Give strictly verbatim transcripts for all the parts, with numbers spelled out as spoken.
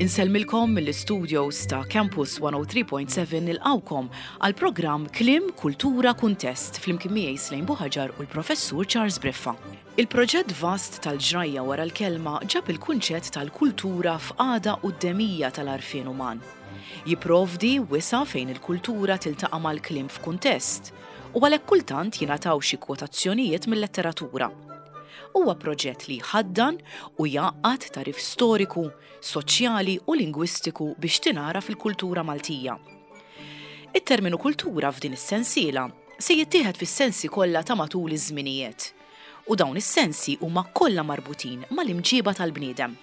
Insellmilkom mill-studios ta' Campus one oh three point seven, nilqgħukom għal programm Kliem, Kultura, Kuntest flimkien miegħi Slejn Buħaġar u l-Professur Charles Briffa. Il-proġett vast tal-ġrajja wara l-kelma ġab il-kunċett tal-kultura f'qagħda quddemija tal-għarfien uman. Jipprovdi wisa' fejn il-kultura tiltaqa' mal-kliem f'kuntest u għalhekk kultant jingħataw xi kwotazzjonijiet mill-letteratura. Huwa proġett li jħaddan u jgħaqqad tagħrif storiku, soċjali u lingwistiku biex tingħaraf il-kultura Maltija. It-terminu kultura f'din is-sensiela se jittieħed fis-sensi kollha ta' matul iż-żminijiet. U dawn is-sensi huma kollha marbutin mal-imġiba tal-bniedem.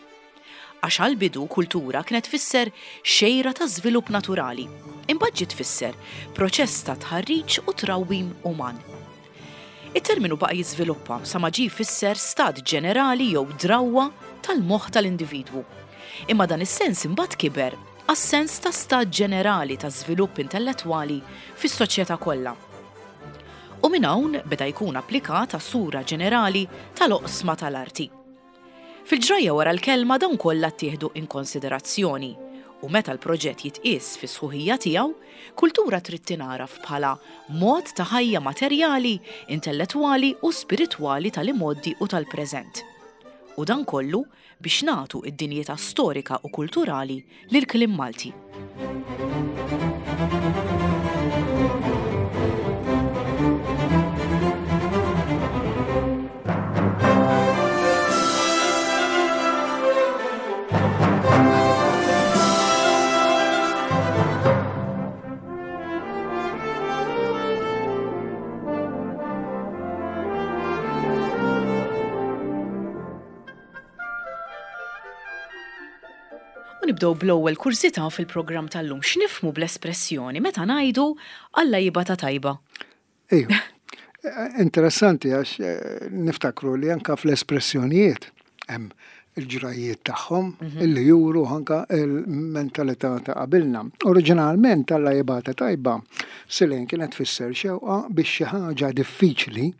Għax għal-bidu kultura kienet tfisser xejra ta' żvilupp naturali, imbagħad ġiet tfisser proċess ta' tħarriġ u trawwim uman. Il-terminu baqa' jiżviluppa sa ma ġie jfisser stat ġenerali jew drawwa tal-moħħ tal-individwu. Imma dan is-sens imbagħad kiber għas-sens ta' stat ġenerali ta' żvilupp intellettwali fis-soċjetà kollha. U minn hawn beda jkun applikat għas-sura ġenerali tal-oqsma tal-arti. Fil-ġrajja wara l-kelma dawn kollha ttieħdu in konsiderazzjoni u meta l-proġett jitqies fi sħuħija tiegħu, kultura trid tingħaraf bħala mod ta' ħajja materjali, intellettwali u spiritwali tal-imgħoddi u tal-preżent. U dan kollu biex nagħtu id-dinjità storika u kulturali lil kliem Malti. U nibdew bl-ewwel kurżità fil-programm tal-lum. X'nifhmu bl-espressjoni meta ngħidu "Alla jibgħatha tajba"? Ejju. Interessanti għax eh, niftakru li anka fl-espressjonijiet hemm il-ġrajiet tagħhom illi juru anka il-mentalità ta' qabilna. Oriġinalment "Alla jibgħatha tajba", Silejn, kienet tfisser xewqa biex xi ħaġa diffiċli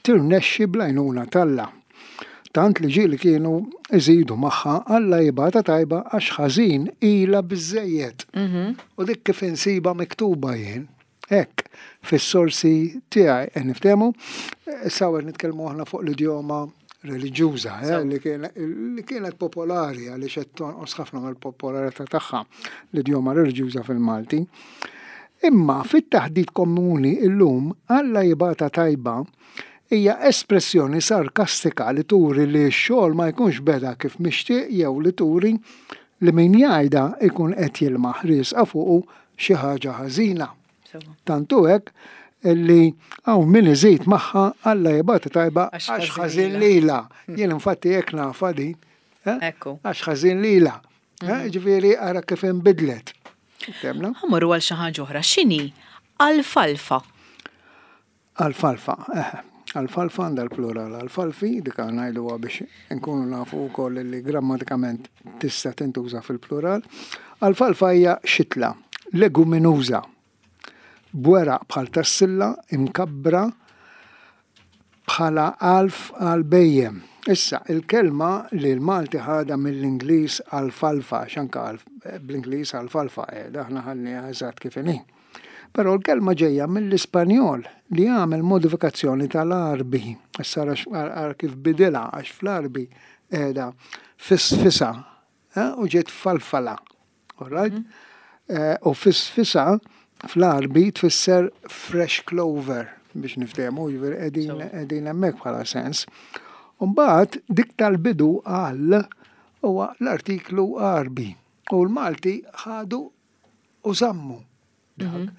tirnexxi bl-għajnuna t'Alla. Tant li ġieli kienu iżidu magħha "Alla jibgħatha tajba għax ħażin ilha biżejjed". U dik kif insiba miktuba jien, hekk, fis-sorsi tiegħi qed niftehmu, issa qed nitkellmu aħna fuq l-idjoma reliġjuża eh, li kien- li kienet popolari, għaliex qed tonqos ħafna mill-popolarità tagħha l-idjoma reliġjuża fil-Malti. Imma fit-taħdit komuni illum "Alla jibgħatha tajba" hija espressjoni sarkastika li turi li x-xogħol ma jkunx beda kif mixtieq jew li turi li min jgħidha ikun qed jilmaħ riesqa fuqu xi ħaġa ħażina. Tantu hekk illi hawn min iżid magħha "Alla jibgħatha tajba għax għax ħażin ħażin lilha". Jien infatti hekk nafha din. Eh? Ekku. Għax ħażin lilha. Eh, Ġifieri ara kif inbidlet. Temna? Ħa mmorru għal xi ħaġa oħra. X'inhi alfalfa? Alfalfa, eh. Alfalfa għandha l-plural alfalfi, dik ngħiduha biex nkunu nafu wkoll li grammatikament tista' tintuża fil-plural. Alfalfa hija xitla, leguminuża, b'weraq bħal tas-silla imkabbra bħala għalf għal bhejjem. Issa, il-kelma li l-Malti ħada mill-Ingliż alfalfa, x'anka bl-Ingliż alfalfa, eh, aħna ħadnieha eżatt kif inhi. Però l-kelma ġejja mill-Ispanjol li għamel modifikazzjoni tal-Arbi. Issa ara kif bidilha, għax fl-Arbi qiegħda fisfisa eh, u ġiet falfala. All right? Eh, U fisfisa fl-Arbi tfisser fresh clover biex niftehmu, jiġifieri qegħdin qegħdin hemmhekk bħala sens. Mbagħad dik tal-bidu għal huwa l-artiklu Arbi u l-Malti ħadu u żammu dak.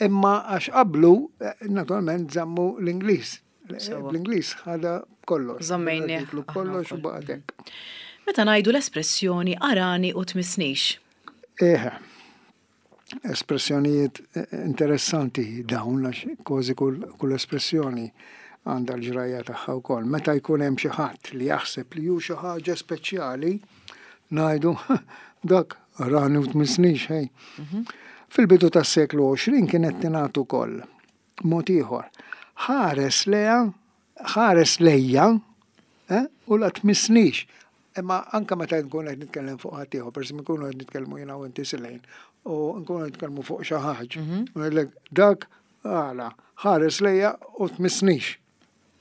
Imma għax qablu, eh, naturalment, żammu l-Ingliż. Sewwa. L-Ingliż ħada kollox. Żammejnieh L-artiklu aħna kollox u wkoll. baqgħet hekk. Meta ngħidu l-espressjoni "arani u tmissnix". Eħe, espressjonijiet eh, interessanti dawn, għax kważi kull, kull espressjoni għandha l-ġrajja tagħha wkoll. Meta jkun hemm xi ħadd li jaħseb li hu xi ħaġa speċjali, ngħidu "dak arani u tmissnix", hej. Fil-bidu tas-seklu għoxrin kienet tingħad ukoll mod ieħor. "Ħares leja, ħares lejja, eh, u la tmissnix." Imma anka meta nkun qed nitkellem fuq ħadd ieħor, pereżempju nkunu qed nitkellmu jiena u inti, Silejn, u nkunu qed nitkellmu fuq xi ħaġa. U ngħidlek dak għala ħares lejja u tmissnix.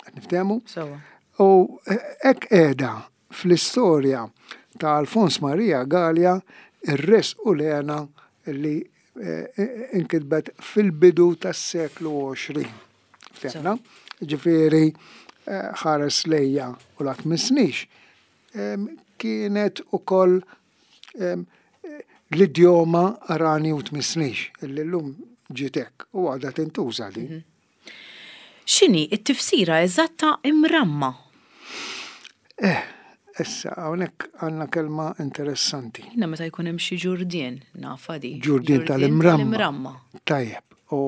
Qed niftehmu? Sewwa. U hekk qiegħda fl-istorja ta' Alfons Maria Galea, Ir-Risq u l-Hena, li eh, inkitbet fil-bidu tas-seklu għoxrin. Ftehna? Ġifieri eh, ħares lejja u la tmissnix em, kienet ukoll em, l-idjoma arani u tmissnix, illi llum ġiet hekk u għadha tintuża din. X'inhi it-tifsira eżatta imramma? Eh, issa, hawnhekk għandna kelma interessanti. Jiena meta jkun hemm xi ġurdien nafha di. Ġurdien tal-imramma. Tal-imramma. Tajjeb, u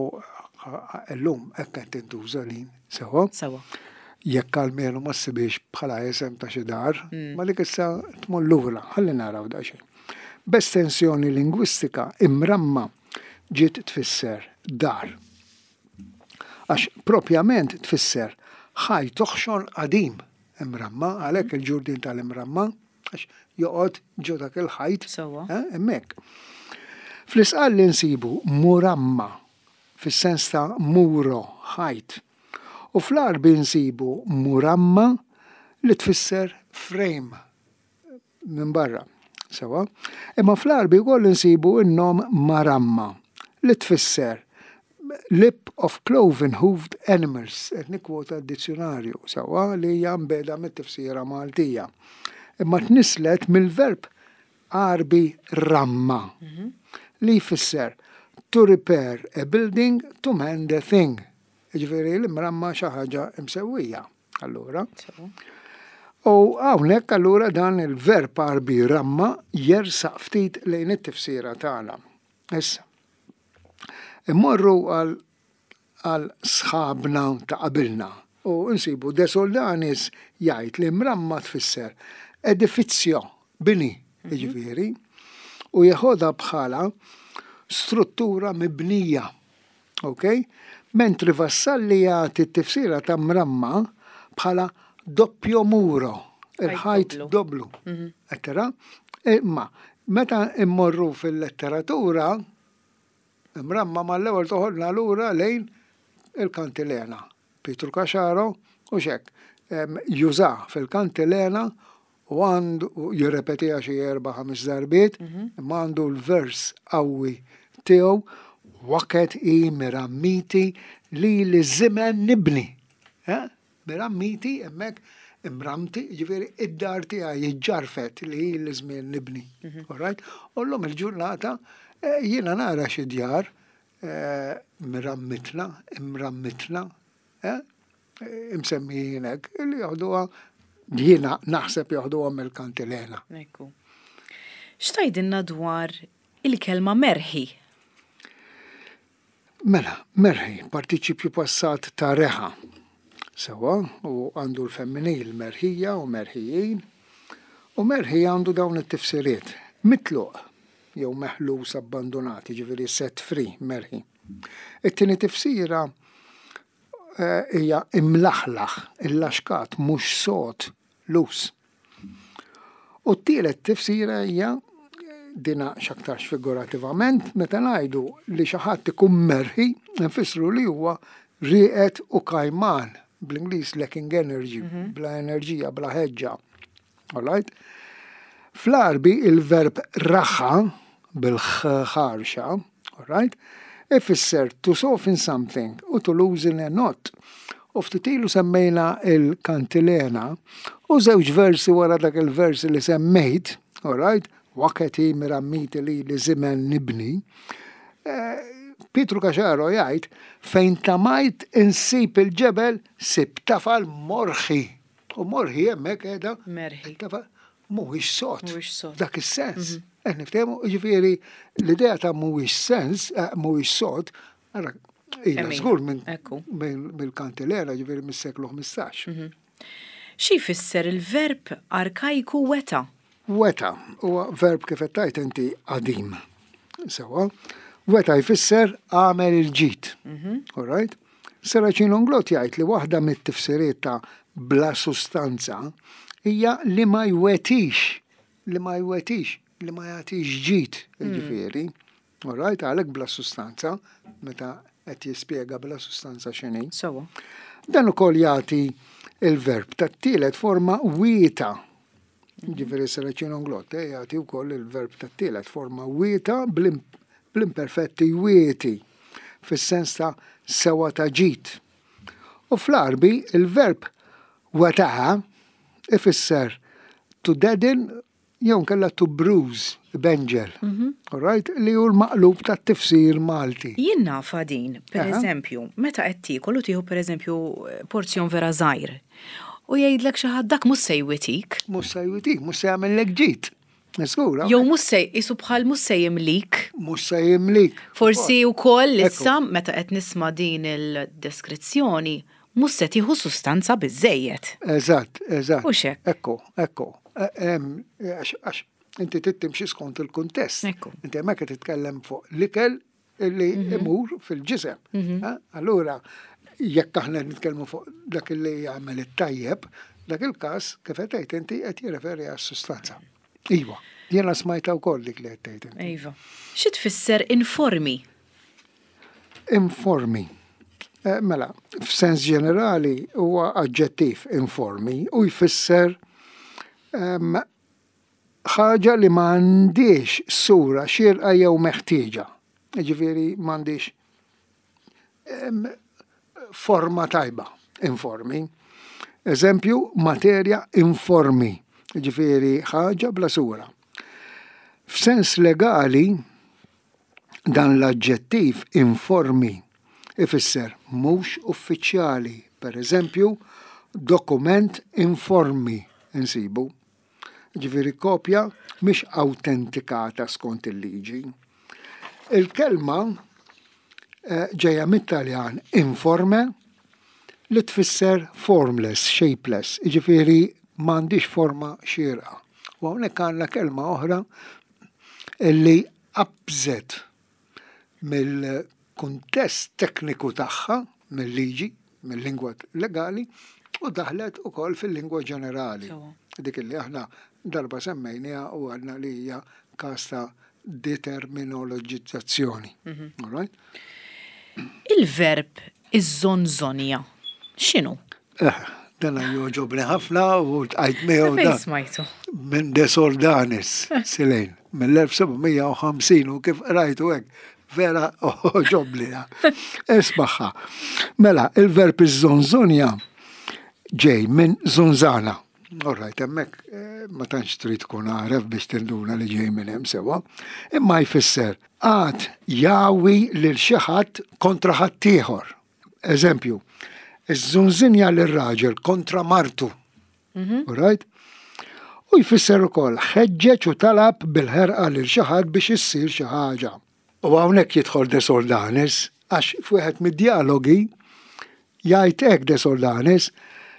llum hekk qed tintuża din, sewwa. Sewwa. Jekk almenu ma ssibix bħala isem ta' xi dar, ma dik issa tmur lura, ħalli naraw daqsxejn. B'estensjoni lingwistika, imramma ġiet tfisser dar. Għax propjament tfisser ħajt oħxon qadim imramma, għalhekk il-ġurdien tal-imramma, għax joqgħod ġo dak il-ħajt Sewwa. eh, hemmhekk. Fl-Isqalli nsibu muramma, fis-sens ta' muro, ħajt. U fl-Għarbi nsibu muramma li tfisser frame minn barra. Sewwa. Imma fl-Għarbi wkoll insibu n-nom maramma li tfisser lip of cloven hoofed animals, qed nikkwota d-dizzjonarju, sewwa, li hija mbeda mit-tifsira Maltija. Imma tnislet mill-verb Għarbi ramma li jfisser to repair a building, to mend a thing. Ġifieri l-imramma xi ħaġa imsewwija. Allura. Sewwa. U hawnhekk allura dan il-verb Għarbi ramma jersaq ftit lejn it-tifsira tagħna. Issa. Immorru għal għal sħabna ta' qabilna u nsibu De Soldanis jgħid li mramma tfisser edifizio, bini, jiġifieri, u jeħodha bħala struttura mibnija. Ok? Mentri Vassalli jagħti t-tifsira ta' mramma bħala doppio muro, il-ħajt doblu. doblu. Ettera? Imma meta immorru fil-letteratura, imramma mal-ewwel toħodna lura lejn il-Kantilena. Pietru Caxaro u xek. Em, Juża fil-Kantilena u għandu u jirrepetiha xi erba' ħames darbiet, imma għandu l-vers qawwi tiegħu: "Waket i mirammiti li li żimen nibni." Eh? Mirammiti hemmhekk imramti, ġifieri id-dar tiegħi jiġġarfet li li żmien nibni. All right? U llum il-ġurnata eh, jiena nara xi djar eh, mirammitna, imrammitna, eh, imsemmijin hekk, li joħduha, jiena naħseb joħduha mill-Kantilena. Ekku. X'tgħidilna dwar il-kelma merħi? Mela, merħi, partiċipju passat ta' reħa. Sewwa, u għandu l-femminil merħija u merħijin. U merħi għandu dawn it-tifsiriet. Mitluq, jew meħlus, abbandonat, ġifieri set free, merħi. It-tieni tifsira eh, hija imlaħlaħ, illaxkat, mhux sod, loose. U t-tielet tifsira hija dina x'aktarx figurativament, meta ngħidu li xi ħadd ikun merħi, nfissru li huwa rieqed u kajman, bl-Ingliż lacking energy, bla enerġija, bla ħeġġa. All right? Fl-Għarbi il-verb raħa bil-ħarxa, all right, ifisser to soften something u to loosen a knot. U ftit ilu semmejna il-Kantilena u żewġ versi wara dak il-versi li semmejt, all right, "Waketi mirammiti li li żimen nibni", eh, Pietru Caxaro jgħid: "Fejn tamajt insib il-ġebel sib tafal morħi." U morħi hemmhekk qiegħda Merħi. Tafal mhuwiex sod. Mhuwiex sod. Dak is-sens. Eh, niftehmu, ġifieri l-idea ta' mhuwiex sens, eh, mhuwiex sod, ara, ila Emina, żgur minn ekku. minn- mill-Kantilena, ġifieri mis-seklu ħmistax. Xi jfisser il-verb arkajku weta? Weta huwa verb, kif qed tgħid inti, qadim. Sewwa, weta jfisser għamel il-ġid. All right? Serracino Inglott jgħid li waħda mit-tifsiriet ta' bla sustanza hija li ma jwetix, li ma jwetix, li ma jagħtix ġid, ġifieri. All right, għalhekk bla sustanza, meta qed jispjega bla sustanza x'inhi. Sewwa. Dan ukoll jagħti il-verb tat-tielet forma wieta. Ġifieri Saracino Inglott jagħti wkoll il-verb tat-tielet forma wieta bl-imperfetti wieti fis-sens ta' sewa ta' ġid. U fl-Għarbi il-verb wetaha ifisser to deaden jew nkella to bruise, benġel. All right? Li hu l-maqlub tat-tifsir Malti. Jien nafa din, per Aha. eżempju, meta qed tiekol u tieħu per eżempju porzjon vera żgħir. U jgħidlek xi ħadd dak mhux se jwitik. Mhux se jwitik, mhux se jagħmellek ġid. Żgur, Jew mhux se isu bħal mhux se jimlik. Mhux se jimlik. Forsi wkoll Ekku. issa meta qed nisma' din il-deskrizzjoni mhux se tieħu sustanza biżejjed. Eżatt, eżatt. Hux hekk? Ekku, ekku. E- em, Għax għax inti tittimxi skont il-kuntest. Ekku. Inti hemmhekk qed titkellem fuq l-ikel illi imur fil-ġisem. Eh? Allura, jekk aħna nitkellmu fuq dak li jagħmel it-tajjeb, dak il-każ kif qed tgħid inti qed jirreferi għas-sustanza. Iva, jiena smajta wkoll dik li qed tgħid inti. Iva. Xi tfisser informi? Informi. Eh, Mela, f'sens ġenerali huwa aġġettiv informi u jfisser em, ħaġa li m'għandix sura xierqa jew meħtieġa. Ġifieri m'għandix em, forma tajba, informi. Eżempju, materja informi, ġifieri ħaġa bla sura. F'sens legali, dan l-aġġettiv informi ifisser mhux uffiċjali, per eżempju, dokument informi insibu. Ġifieri kopja mhix autentikata skont il-liġi. Il-kelma eh, ġejja mit-Taljan informe li tfisser formless, shapeless, ġifieri m'għandix forma xierqa. U hawnhekk għandna kelma oħra illi qabżet mill-kuntest tekniku tagħha, mill-liġi, mill-lingwa legali, u daħlet ukoll fil-lingwa ġenerali. Sewwa. Dik li aħna darba semmejniha u għadna li hija każ ta' determinologizzazzjoni. All right? Il-verb iż-żonżonja. X'inhu? Eh, dana jogħġobni ħafna u tqajt miegħu Fejn dan. smajtu? Minn De Soldanis, Silejn, mill-elf seba' mija u ħamsin u kif rajtu hekk, vera għoġobni. Ismaħħa. Mela, il-verb iż-żonżonja ġej minn zunzana. All right, hemmhekk eh, ma tantx trid tkun għaref biex tinduna li ġej minn hemm sewwa. Imma jfisser għad jawi lil xi ħadd kontra ħaddieħor. Eżempju, iż-żunżinja lir-raġel kontra martu. All right? U jfisser ukoll ħeġġeġ u talab bil-ħerqa lil xi ħadd biex issir xi ħaġa. U hawnhekk jidħol De Soldanis għax f'wieħed mid-dialogi jgħid hekk De Soldanis: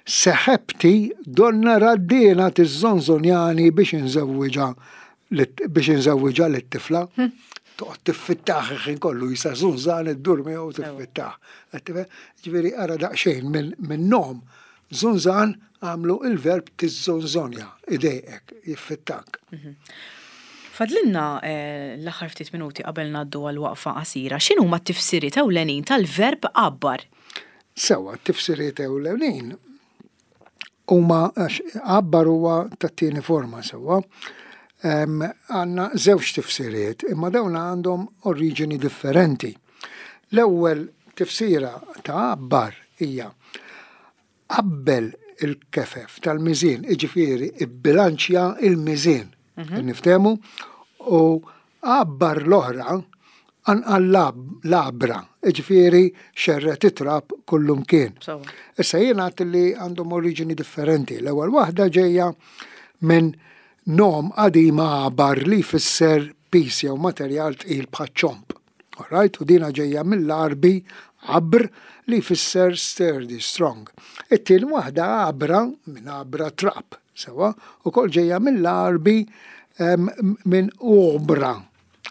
"Seħebti donna raddina tiżonżonjani biex inżewwiġha biex inżewwiġha lit-tifla." Toqgħod tiffittah ħin kollu jisa żunżan iddur miegħu tiffittah. Ġifieri ara daqsxejn minn nom żunżan għamlu il-verb tiżonżonja, idejqek, jiffittak. Fadlinna eh, l-aħħar ftit minuti qabel ngħaddu għal waqfa qasira. X'inhuma t-tifsiriet ewlenin tal-verb għabbar? Sewwa, t-tifsiriet ewlenin huma għax għabbar huwa tat-tieni forma sewwa. Għandna żewġ tifsiriet, imma dawn għandhom oriġini differenti. L-ewwel tifsira ta' għabbar hija qabbel il-kefef tal-miżien, iġifieri ibbilanċja il-miżien. Niftehmu u għabbar l-oħra anqal labra, iġifieri xerred it-trab kullumkien. Sewwa. Issa jien għedt li għandhom oriġini differenti. L-ewwel waħda ġejja minn nom qadima għabar li jfisser pis jew materjal tqil bħaċ-ċomb. Alright, u dina ġejja mill-Għarbi għabr li jfisser sturdy, strong. It-tieni waħda għabra minn għabra trab, sewwa, ukoll ġejja mill-Għarbi em, minn ubra.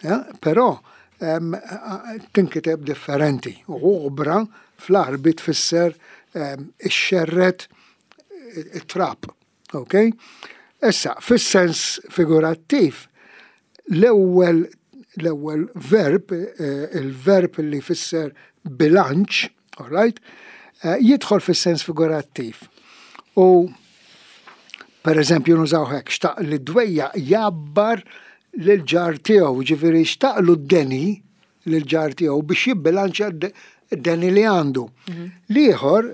Ja, però em, tinkiteb differenti. U ubra fl-Għarbi tfisser em, ixxerred it-trab. Ok? Issa, fis-sens figurattiv, l-ewwel l-ewwel verb, eh, il-verb li fisser bilanċ, all right, eh, jidħol fis-sens figurattiv. U per eżempju nużaw hekk, xtaq li dwejja jabbar lil-ġar tiegħu, ġifieri xtaqlu d-deni lil-ġar tiegħu biex jibbilanċja d-deni li għandu. L-ieħor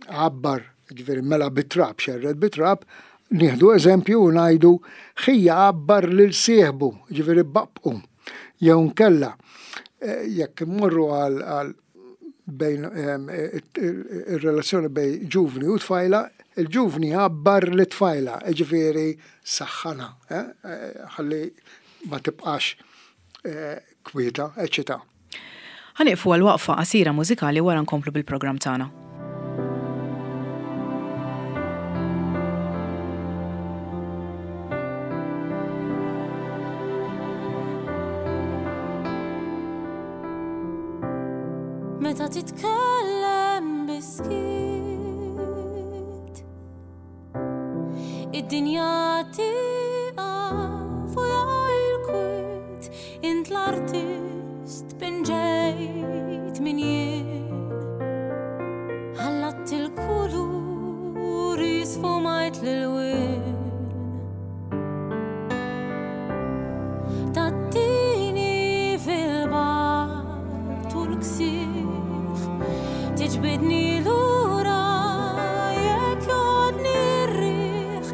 għabbar, ġifieri mela bit-trab, xerred bit-trab, nieħdu eżempju u ngħidu ħija għabbar lil sieħbu, ġifieri babqu. Jew nkella eh, jekk immorru għal għal bejn em, ir-relazzjoni bejn ġuvni u tfajla, il-ġuvni għabbar li tfajla, ġifieri saħħana, eh, eh, ħalli ma tibqax eh, kwieta, eċċetera. Ħa nieqfu għal waqfa qasira mużikali wara nkomplu bil-programm tagħna. Meta titkellem biskit Id-dinja tieqaf u jgħajl Int l-artist pinġejt min jien Ħallatt il-kuluri sfumajt l-ilwien Tattini fil-bar tul ksieħ Tiġbidni lura jekk jodni r-riħ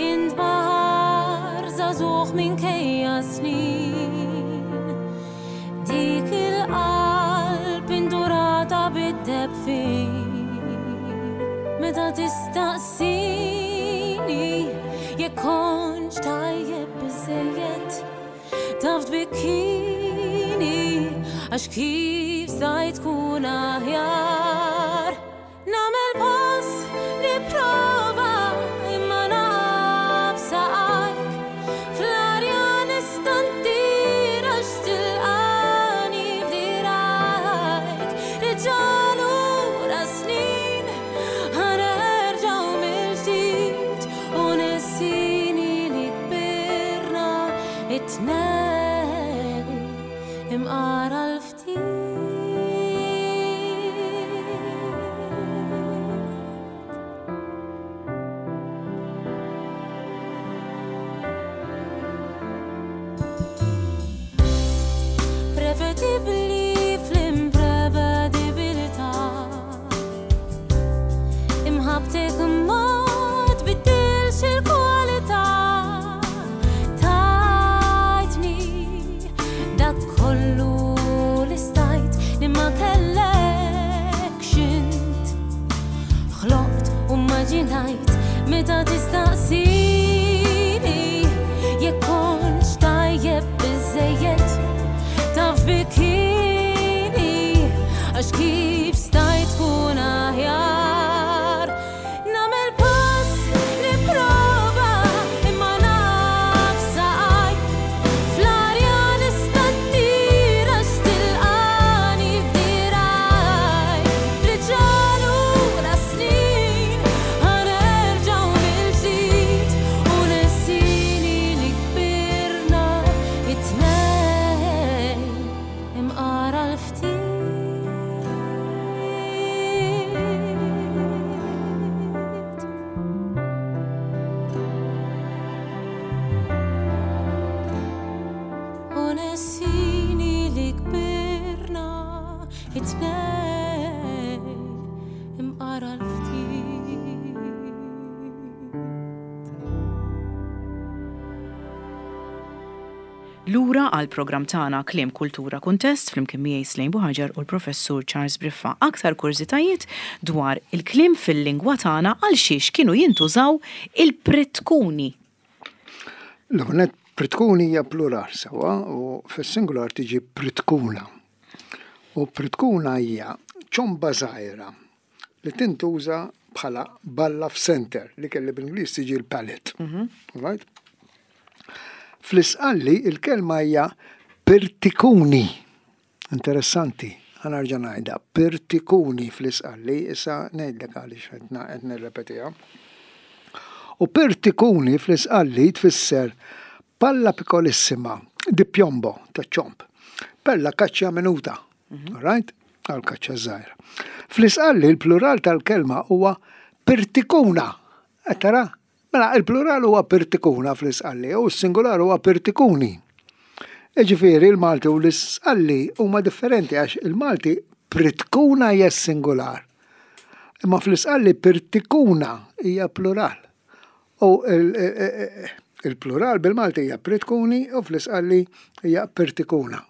Int baħar żagħżugħ minkejja snin Dik il-qalb indurata bid-deheb fin Meta tistaqsini jekk kontx tajjeb biżejjed Taf tbikkini għax kif stajt tkun aħjar Nagħmel pass nipprova imma naf saqajk Fl-arja nista' ntir għax tilqani f'dirajk Reġa' lura snin ħa nerġgħu mill-ġdid U nessini li kbirna it-tnejn imqara l-ftit. Prevedibbli fl-imprevedibilità Imħabbtek ma tbiddilx il-kwalità Tajtni dak kollu li stajt li ma kellekx int Ħloqt u immaġinajt meta tistaqsini jekk kontx tajjeb biżejjed taf bikini għax kif stajt tkun aħjar Nagħmel pass nipprova imma naf saqajk Fl-arja nista' ntir għax tilqani f'dirajk Reġa' lura snin ħa nerġgħu mill-ġdid U nessini li kbirna it-tnejn imqara l-ftit U nessini li kbirna it-tnejn imqara l-ftit Lura għal programm tagħna Kliem Kultura Kuntest flimkien miegħi Slejn Buħaġar u l-Professur Charles Briffa. Aktar kurżitajiet dwar il-kliem fil-lingwa tagħna għal xiex kienu jintużaw il-pritkuni. L-għonet pritkuni hija plural sewa u fis-singular tiġi pritkuna. U pritkuna hija ċomba żgħira li tintuża bħala balla f'center li kelli bl-Ingliż tiġi l-pallet. Right? Fl-Isqalli il-kelma hija pirtikuni. Interessanti, ħa nerġa' ngħidha, pirtikuni fl-Isqalli, issa ngħidlek għaliex qed qed nirrepetiha. U pirtikuni fl-Isqalli tfisser palla piccolissima di piombo, ta' ċomb. Per la caccia minuta. Mhm. Right? Għal kaċċa żgħira. Fl-Isqalli il-plural tal-kelma huwa pirtikuna. Tara? Mela, il-plural huwa pirtikuna fl-Isqalli u s-singular huwa pirtikuni. Ġifieri il-Malti u l-Isqalli huma differenti għax il-Malti pritkuna hija singular. Imma fl-Isqalli pirtikuna hija plural. U il-plural bil-Malti hija pritkuni u fl-Isqalli hija pirtikuna.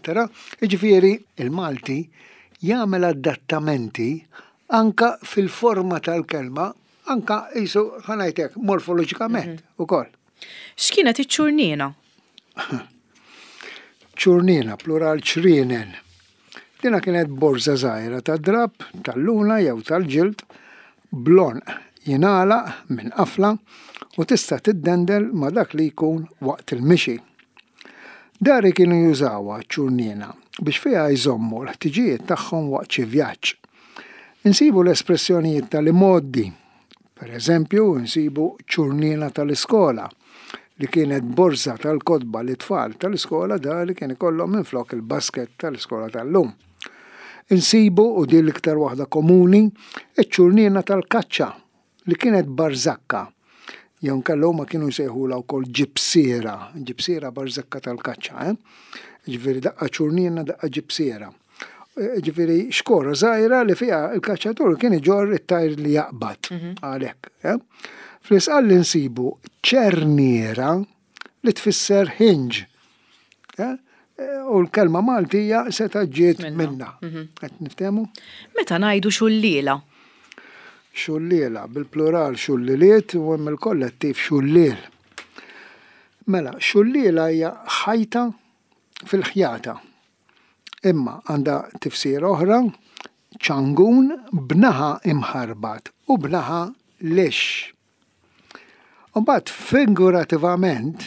Tara? Ġifieri il-Malti jagħmel adattamenti anka fil-forma tal-kelma, anka jisu ħa ngħidlek morfoloġikament mhm. ukoll. X'kienet iċ-ċurnina? Ċurnina, plural ċrienen. Dina kienet borza żgħira ta' drab, tal-luna jew tal-ġild, bl-għonq jingħalaq minn qafla u tista' tiddendel ma' dak li jkun waqt il-mixi. Dari kienu jużawha ċurnina biex fiha jżommu l-ħtiġijiet tagħhom waqt xi vjaġġ. Insibu l-espressjonijiet tal-imgħoddi. Per eżempju, insibu ċurnina tal-iskola li kienet borza tal-kotba li tfal tal-iskola dari kien ikollhom minflok il-basket tal-iskola tal-lum. Insibu, u din l-iktar waħda komuni, iċ-ċurnina tal-kaċċa li kienet barzakka. Jew inkella huma kienu jsejħulha wkoll ġibsiera, ġibsiera barzakka tal-kaċċa, eh? Ġifieri daqqa ċurnina, daqqa ġibsiera. Ġifieri xkora żgħira li fiha il-kaċċatur kien iġorr it-tajr li jaqbad mhm. għalhekk. Eh? Fl-Isqalli nsibu ċerniera li tfisser hinge. Eh? U l-kelma Maltija seta ġiet minna. Mhm. Qed niftehmu? Meta ngħidu xulliela. Xulliela, bil-plural xulliliet u hemm il-kollettiv xulliel. Mela, xulliela hija ħajta fil-ħjata. Imma għandha tifsir oħra, ċangun b'naħa imħarbat u b'naħa lixx. Mbagħad figurativament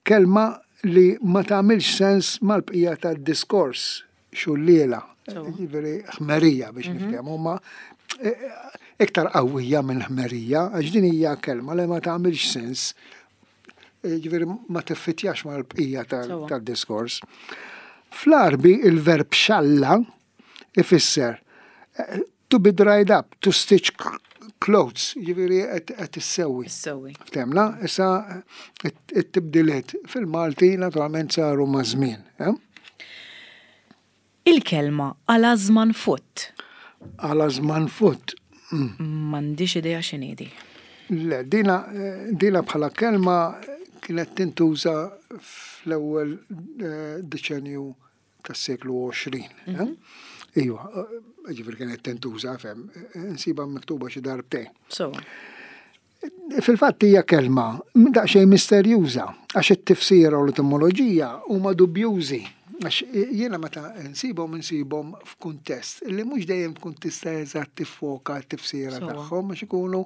kelma li ma tagħmilx sens mal-bqija tad-diskors xulliela, ġifieri ħmerija biex mhm. niftehmu, ma e, iktar qawwija minn ħmerija, għax din hija kelma li ma tagħmilx sens, e, ġifieri ma tiffitjax mal-bqija tad-diskors. Fl-Arbi il-verb xalla ifisser e, to be dried up, to stitch clothes, ġifieri qed issewwi. Issewwi. Ftehmna, issa it-tibdiliet fil-Malti naturalment saru ma' żmien. Eh? Il-kelma għal futt. Għal futt. Mm. M'għandix idea x'inhi di. Le, dina, dina bħala kelma kienet tintuża fl-ewwel eh, deċenju tas-seklu għoxrin. Eh? Mhm. Iva, eh, ġifieri kienet tintuża, fem, nsiba miktuba xi darbtejn. So. Fil-fatt hija kelma daqsxejn misterjuża għax it-tifsira u l-etimoloġija huma dubjużi. Għax jiena meta nsibhom insibhom f'kuntest li mhux dejjem tkun tista' eżatt tiffoka t-tifsira tagħhom għax ikunu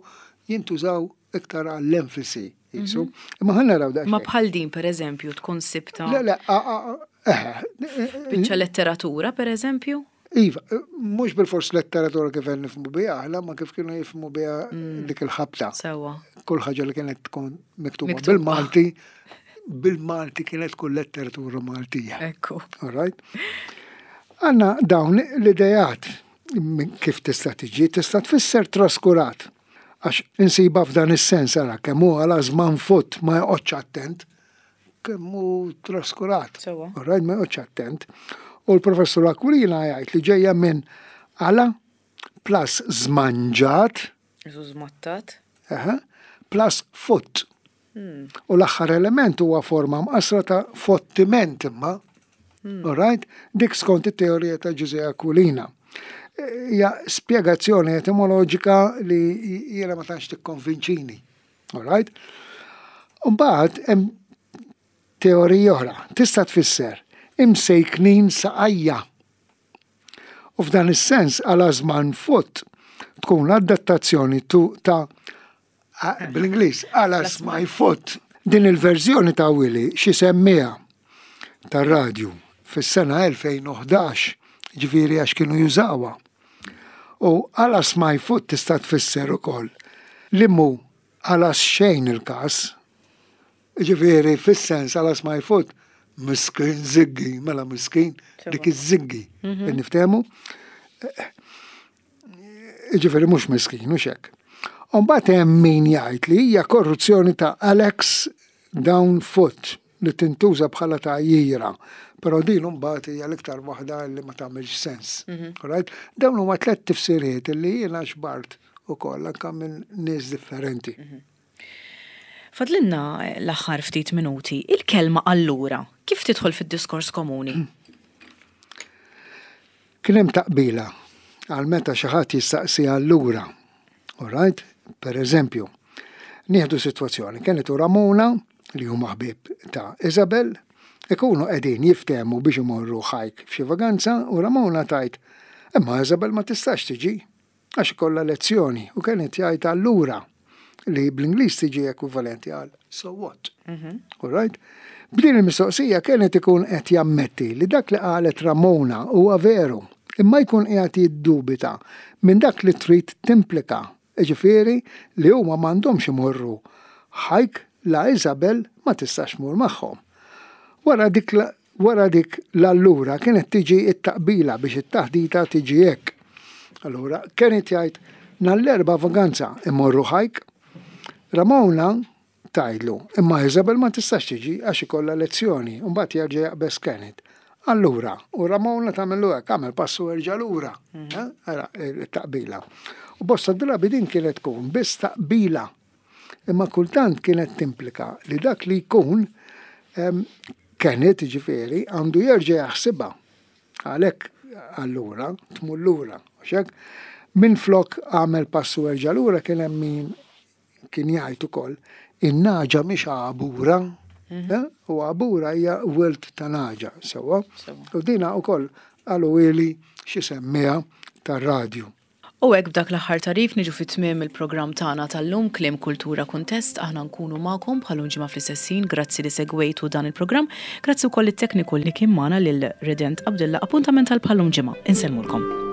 jintużaw iktar għall-enfasi. Jisu. Mhm. Imma ħa naraw daqsxejn. Ma bħal din pereżempju tkun sibta. Le, le, eh, Biċċa letteratura pereżempju? Iva, mhux bil-fors letteratura kif nifhmu biha aħna, ma kif kienu jifhmu biha mm. dik il-ħabta. Sewa. Kull ħaġa li kienet tkun miktuba bil-Malti, bil-Malti kienet tkun letteratura Maltija. Ekku. All right? Għanna dawn l-idejat kif tista' tiġi, tista' tfisser traskurat. Għax insiba f'dan is-sens ara kemm hu għala żman fut ma joqgħodx attent, kemm hu traskurat. Sewa. All right, ma joqgħodx attent. U l-professur Aquilina jgħid li ġejja minn għala plus żmanġat. Isu żmattat. Aha, plus fut. Hmm. U l-aħħar element huwa forma mqasra ta' fottiment imma. Hmm. All right? Dik skont it-teorija ta' Ġużè Aquilina. Hija spjegazzjoni etimoloġika li jiena ma tantx tikkonvinċini. All right? Mbagħad hemm teorija oħra. Tista' tfisser imsejknin saqajja. U f'dan is-sens għala żman fut tkun adattazzjoni ta' bl-Ingliż alas my foot. Din il-verżjoni ta' Willi xi semmiha tar-radju fis-sena elfejn u ħdax, ġifieri għax kienu jużawha. U alas my foot tista' tfisser ukoll li mu Għalas xejn il-każ. Ġifieri, fis-sens għalas ma jfut, miskin ziggi, mela miskin, dik iż-ziggi. Mhm. Niftehmu? Ġifieri mhux miskin, mhux hekk. Mbagħad hemm min jgħid li hija korruzzjoni ta' Alex down foot li tintuża bħala tgħajjira. Però din mbagħad hija l-iktar waħda li ma tagħmilx sens. Mhm. Right? Dawn huma tliet tifsiriet li jiena ġbart ukoll anke minn nies differenti. Mhm. Fadlinna l-aħħar ftit minuti, il-kelma "allura", kif tidħol fid-diskors komuni? Kien hemm taqbila għal meta xi ħadd jistaqsi "allura". All right? Per eżempju, nieħdu sitwazzjoni, Kenneth u Ramona, li huma ħbieb ta' Isabel, ikunu qegħdin jiftehmu biex imorru hike f'xi vaganza u Ramona tgħid, "Imma Isabel ma tistax tiġi għax ikollha lezzjoni", u Kenneth jgħid "allura", li bl-Ingliż tiġi ekwivalenti għal "so what?" Mhm. All right? B'din il-mistoqsija Kenneth ikun qed jammetti li dak li qalet Ramona huwa veru, imma jkun qiegħed jiddubita minn dak li trid timplika, ġifieri li huma m'għandhomx imorru hike la Isabel ma tistax tmur magħhom. Wara dik wara dik l-allura kienet tiġi it-taqbila biex it-taħdita tiġi hekk. Allura Kenneth jgħid, "Nhar l-Erbgħa vaganza imorru hike?" Ramona tgħidlu, "Imma Isabel ma tistax tiġi għax ikollha lezzjoni", u mbagħad jerġa' jaqbeż Kenneth. "Allura", u Ramona tagħmlu hekk, "Għamel passu erġa' lura." Mhm. Ara il-taqbila. U bosta drabi din kienet tkun biss taqbila. Imma kultant kienet timplika li dak li jkun, Kenneth ġifieri, għandu jerġa' jaħsibha. Għalhekk "allura" tmur lura. Minn flok "għamel passu erġa' lura" kien hemm min kien jgħid ukoll, "In-nagħġa mhix għabura." Mhm. Eh? U għabura hija wild ta' nagħġa, sewwa. U dina ukoll qaluli xi semmiegħa tar-radju. U hekk b'dak l-aħħar tagħrif niġu fi tmiem il-programm tagħna tal-lum, Kliem, Kultura, Kuntest. Aħna nkunu magħkom bħal ġimgħa fl-istess ħin. Grazzi li segwejtu dan il-programm. Grazzi wkoll it-tekniku li kien magħna, lil Redent Abdilla. Appuntament għal bħal ġimgħa. Insellmulkom.